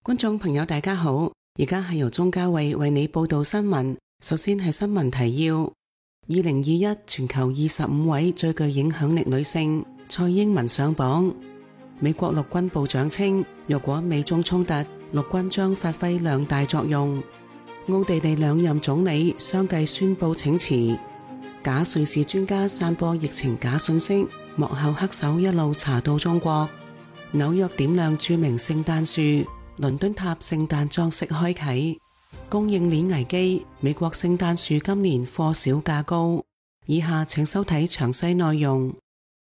觀眾朋友大家好，而家係由鍾嘉慧為你報道新聞。首先係新聞提要：2021全球25位最具影響力女性，蔡英文上榜。美國陸軍部長稱，若果美中衝突，陸軍將發揮兩大作用。奧地利兩任總理相繼宣布請辭。假瑞士專家散播疫情假信息，幕後黑手一路查到中國。紐約點亮著名聖誕樹。倫敦塔聖誕裝飾開啟。供應鏈危機，美國聖誕樹今年貨少價高。以下請收睇詳細內容。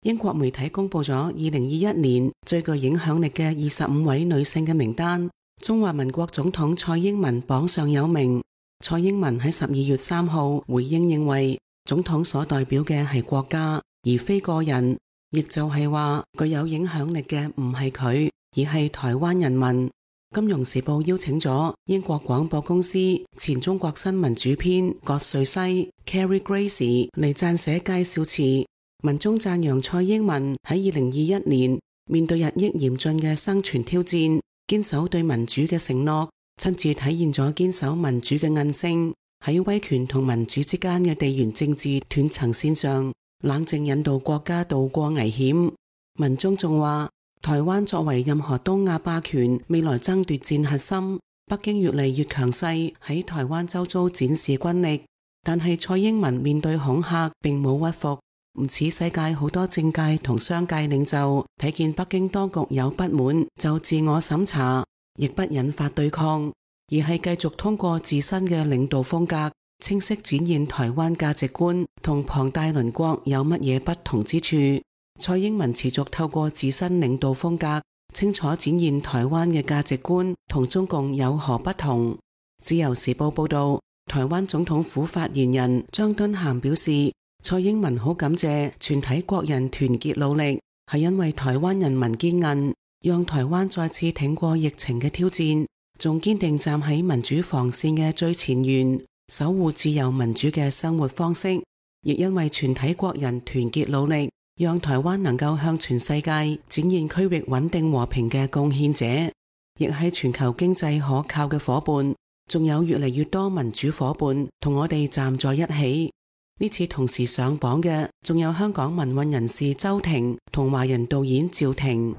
英國媒體公布咗2021年最具影響力嘅25位女性嘅名單，中華民國總統蔡英文榜上有名。蔡英文喺12月3號回應認為，總統所代表嘅係國家，而非個人，亦就係話具有影響力嘅唔係佢，而係台灣人民。金融時報邀請咗英國廣播公司前中國新聞主編葛瑞西 Carrie Gracie 嚟撰寫介紹詞，文中讚揚蔡英文喺2021年面對日益嚴峻嘅生存挑戰，堅守對民主嘅承諾，親自體現咗堅守民主嘅韌性，喺威權同民主之間嘅地緣政治斷層線上，冷靜引導國家渡過危險。文中仲話，台灣作為任何東亞霸權未來爭奪戰核心，北京越嚟越強勢喺台灣周遭展示軍力，但係蔡英文面對恐嚇並冇屈服，唔似世界好多政界同商界領袖睇見北京當局有不滿就自我審查，亦不引發對抗，而係繼續通過自身嘅領導風格，清晰展現台灣價值觀同龐大鄰國有乜嘢不同之處。蔡英文持續透過自身領導風格，清楚展現台灣嘅價值觀同中共有何不同。自由時報報道，台灣總統府發言人張敦涵表示，蔡英文好感謝全體國人團結努力，係因為台灣人民堅韌，讓台灣再次挺過疫情嘅挑戰，仲堅定站喺民主防線嘅最前沿，守護自由民主嘅生活方式，亦因為全體國人團結努力，讓台灣能夠向全世界展現區域穩定和平嘅貢獻者，亦係全球經濟可靠嘅夥伴。仲有越嚟越多民主夥伴同我哋站在一起。呢次同時上榜嘅，仲有香港民運人士周庭同華人導演趙婷。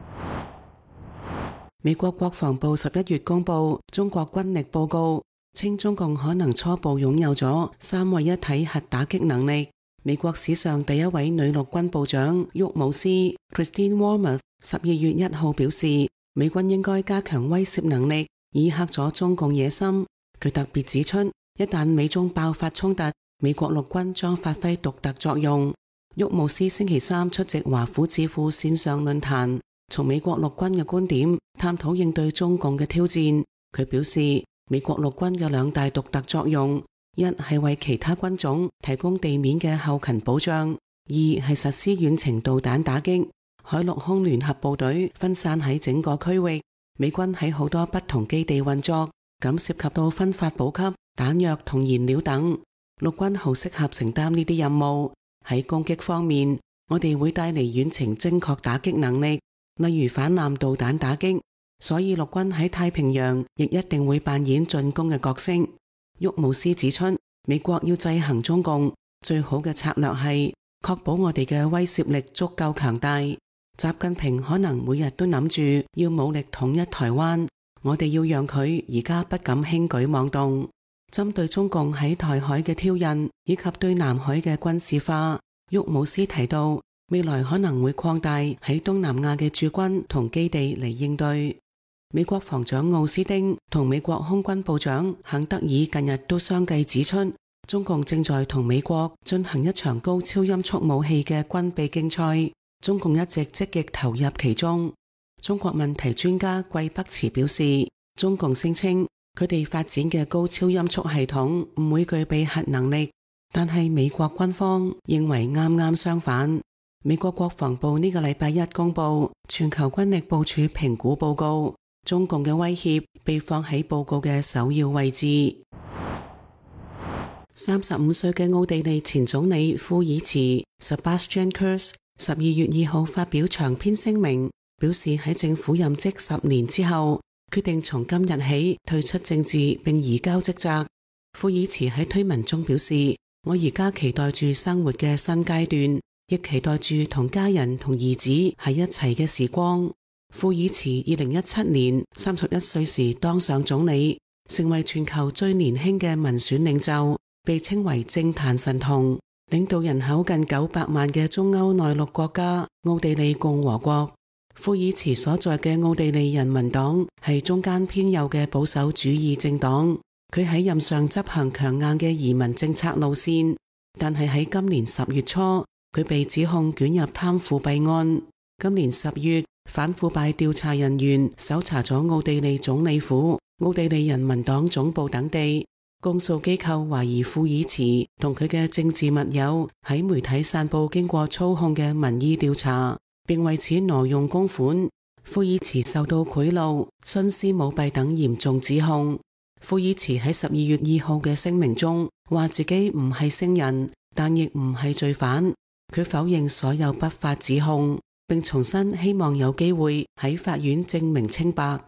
美國國防部11月公布中國軍力報告，稱中共可能初步擁有咗三位一體核打擊能力。美國史上第一位女陸軍部長沃姆斯 Christine Wormuth 12月1號表示，美軍應該加強威懾能力，以嚇阻中共野心。佢特別指出，一旦美中爆發衝突，美國陸軍將發揮獨特作用。沃姆斯星期三出席華府智庫線上論壇，從美國陸軍嘅觀點探討應對中共嘅挑戰。佢表示，美國陸軍有兩大獨特作用。一係為其他軍種提供地面嘅後勤保障，二係實施遠程導彈打擊。海陸空聯合部隊分散喺整個區域，美軍喺好多不同基地運作，咁涉及到分發補給、彈藥同燃料等。陸軍好適合承擔呢啲任務。喺攻擊方面，我哋會帶嚟遠程精確打擊能力，例如反艦導彈打擊，所以陸軍喺太平洋亦一定會扮演進攻嘅角色。沃姆斯指出，美國要制衡中共，最好嘅策略係確保我哋嘅威懾力足夠強大。習近平可能每日都諗住要武力統一台灣，我哋要讓佢而家不敢輕舉妄動。針對中共喺台海嘅挑釁以及對南海嘅軍事化，沃姆斯提到，未來可能會擴大喺東南亞嘅駐軍同基地嚟應對。美國防長奧斯汀同美國空軍部長肯德爾近日都相繼指出，中共正在同美國進行一場高超音速武器嘅軍備競賽，中共一直積極投入其中。中國問題專家季北池表示，中共聲稱佢哋發展嘅高超音速系統唔會具備核能力，但係美國軍方認為啱啱相反。美國國防部呢個禮拜一公布全球軍力部署評估報告，中共嘅威脅被放喺報告嘅首要位置。35歲嘅奧地利前總理庫爾茨 Sebastian Kurz 12月2號發表長篇聲明，表示喺政府任職10年之後，決定從今日起退出政治並移交職責。庫爾茨喺推文中表示：我而家期待住生活嘅新階段，亦期待住同家人同兒子喺一齊嘅時光。庫爾茨2017年31歲時當上總理，成為全球最年輕嘅民選領袖，被稱為政壇神童，領導人口近900萬嘅中歐內陸國家奧地利共和國。庫爾茨所在嘅奧地利人民黨係中間偏右嘅保守主義政黨，佢喺任上執行強硬嘅移民政策路線，但係喺今年10月初，佢被指控捲入貪腐弊案。今年10月，反腐敗調查人員搜查咗奧地利總理府、奧地利人民黨總部等地，公訴機構懷疑庫爾茨同佢嘅政治密友喺媒體散布經過操控嘅民意調查，並為此挪用公款。庫爾茨受到賄賂、徇私舞弊等嚴重指控。庫爾茨喺12月2號嘅聲明中話自己唔係聖人，但亦唔係罪犯。佢否認所有不法指控，並重申希望有機會喺法院證明清白。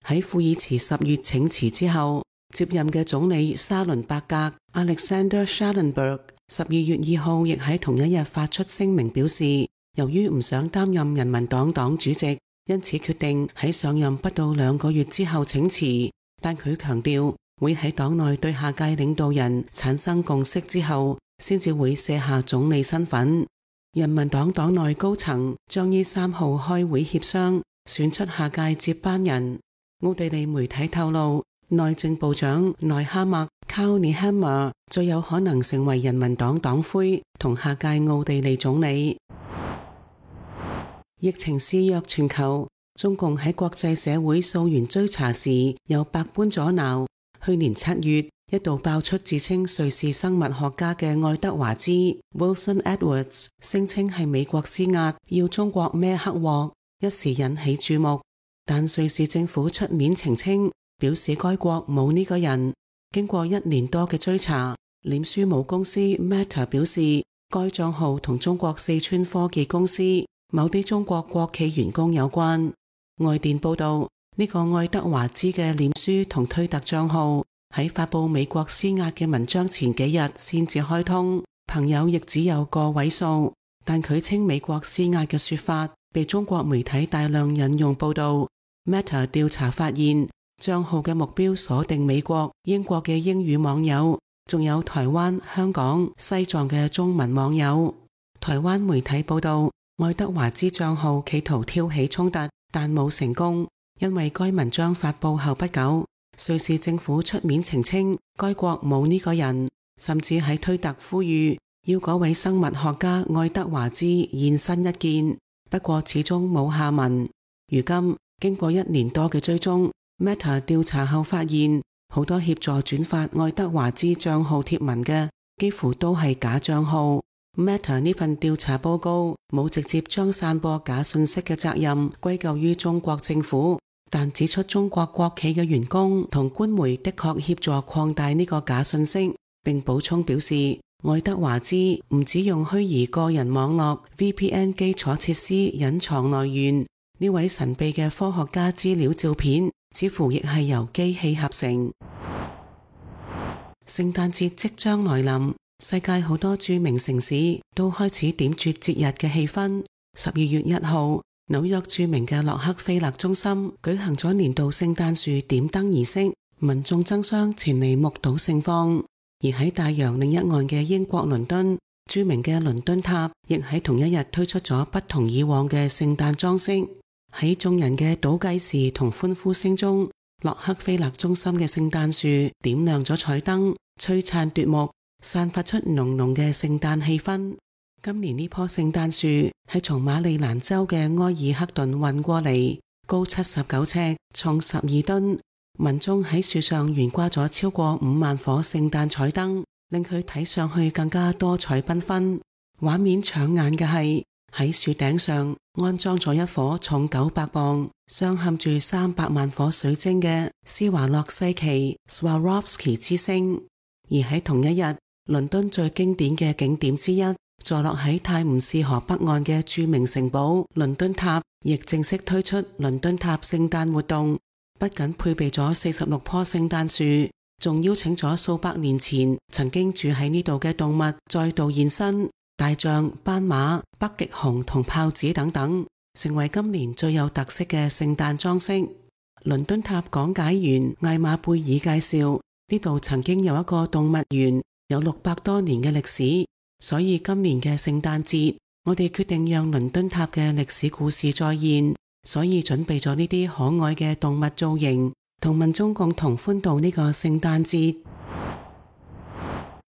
喺庫爾茨10月請辭之後，接任嘅總理沙倫伯格 Alexander Schallenberg 12月2號亦喺同一日發出聲明表示，由於唔想擔任人民黨黨主席，因此決定喺上任不到2個月之後請辭。但佢強調會喺黨內對下屆領導人產生共識之後，先至會卸下總理身份。人民黨黨內高層將於3號開會協商，選出下屆接班人。奧地利媒體透露，內政部長內哈默 Karl Nehammer 最有可能成為人民黨黨魁同下屆奧地利總理。疫情肆虐全球，中共喺國際社會溯源追查時又百般阻撓。去年7月，一度爆出自稱瑞士生物學家嘅愛德華茲 Wilson Edwards 聲稱係美國施壓要中國孭黑鑊，一時引起注目。但瑞士政府出面澄清，表示該國冇呢個人。經過1年多嘅追查，臉書母公司 Meta 表示，該賬號同中國四川科技公司某啲中國國企員工有關。外電報道，呢個愛德華茲嘅臉書同推特賬號喺發佈美國施壓嘅文章前幾日先至開通，朋友亦只有個位數。但佢稱美國施壓嘅說法被中國媒體大量引用報道。Meta 調查發現，賬號嘅目標鎖定美國、英國嘅英語網友，仲有台灣、香港、西藏嘅中文網友。台灣媒體報道，愛德華茲賬號企圖挑起衝突，但冇成功，因為該文章發佈後不久，瑞士政府出面澄清該國冇呢個人，甚至喺推特呼籲要嗰位生物學家愛德華茲現身一見，不過始終冇下文。如今經過1年多嘅追蹤， Meta 調查後發現，好多協助轉發愛德華茲賬號貼文嘅幾乎都係假賬號。Meta 呢份調查報告冇直接將散播假信息嘅責任歸咎於中國政府，但指出中國國企嘅員工同官媒的確協助擴大呢個假信息，並補充表示，愛德華茲唔只用虛擬個人網絡 VPN 基礎設施隱藏來源，呢位神秘嘅科學家資料照片似乎亦係由機器合成。聖誕節即將來臨，世界好多著名城市都開始點綴節日嘅氣氛。12月1號，紐約著名嘅洛克菲勒中心舉行咗年度聖誕樹點燈儀式，民眾爭相前嚟目睹盛況。而喺大洋另一岸嘅英國倫敦，著名嘅倫敦塔亦喺同一日推出咗不同以往嘅聖誕裝飾。喺眾人嘅倒計時同歡呼聲中，洛克菲勒中心嘅聖誕樹點亮咗彩燈，璀璨奪目，散發出濃濃嘅聖誕氣氛。今年呢棵聖誕樹係從馬里蘭州嘅埃爾克頓運過嚟，高79尺，重12噸。民眾喺樹上懸掛咗超過5萬顆聖誕彩燈，令佢睇上去更加多彩繽紛。畫面搶眼嘅係喺樹頂上安裝咗一顆重900磅、鑲嵌住300萬顆水晶嘅施華洛世奇 Swarovski 之星。而喺同一日，倫敦最經典嘅景點之一，坐落喺泰晤士河北岸嘅著名城堡倫敦塔，亦正式推出倫敦塔聖誕活動。不僅配備咗46棵聖誕樹，仲邀請咗數百年前曾經住喺呢度嘅動物再度現身，大象、斑馬、北極熊同豹子等等，成為今年最有特色嘅聖誕裝飾。倫敦塔講解員艾瑪貝爾介紹，呢度曾經有一個動物園，有600多年嘅歷史，所以今年嘅聖誕節，我哋決定讓倫敦塔嘅歷史故事再現，所以準備咗呢啲可愛嘅動物造型，同民眾共同歡度呢個聖誕節。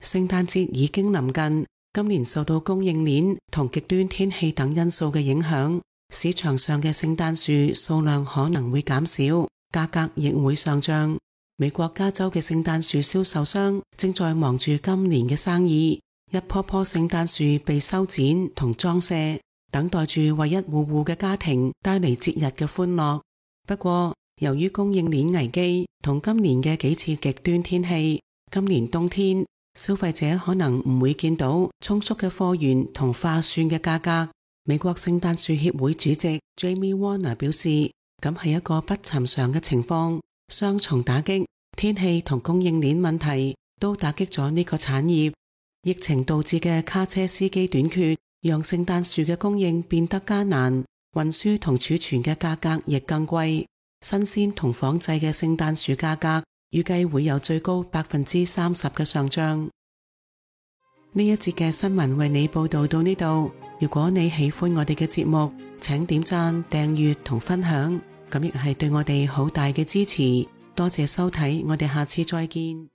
聖誕節已經臨近，今年受到供應鏈同極端天氣等因素嘅影響，市場上嘅聖誕樹數量可能會減少，價格亦會上漲。美國加州嘅聖誕樹銷售商正在忙住今年嘅生意，一棵棵聖誕樹被修剪同裝飾，等待住為一戶戶嘅家庭帶嚟節日嘅歡樂。不過，由於供應鏈危機同今年嘅幾次極端天氣，今年冬天消費者可能唔會見到充足嘅貨源同划算嘅價格。美國聖誕樹協會主席 Jamie Warner 表示，咁係一個不尋常嘅情況，雙重打擊，天氣同供應鏈問題都打擊咗呢個產業。疫情導致嘅卡車司機短缺，讓聖誕樹嘅供應變得艱難，運輸同儲存嘅價格亦更貴。新鮮同仿製嘅聖誕樹價格預計會有最高 30% 嘅上漲。呢一節嘅新聞為你報道到呢度。如果你喜歡我哋嘅節目，請點讚、訂閱同分享，咁亦係對我哋好大嘅支持。多謝收睇，我哋下次再見。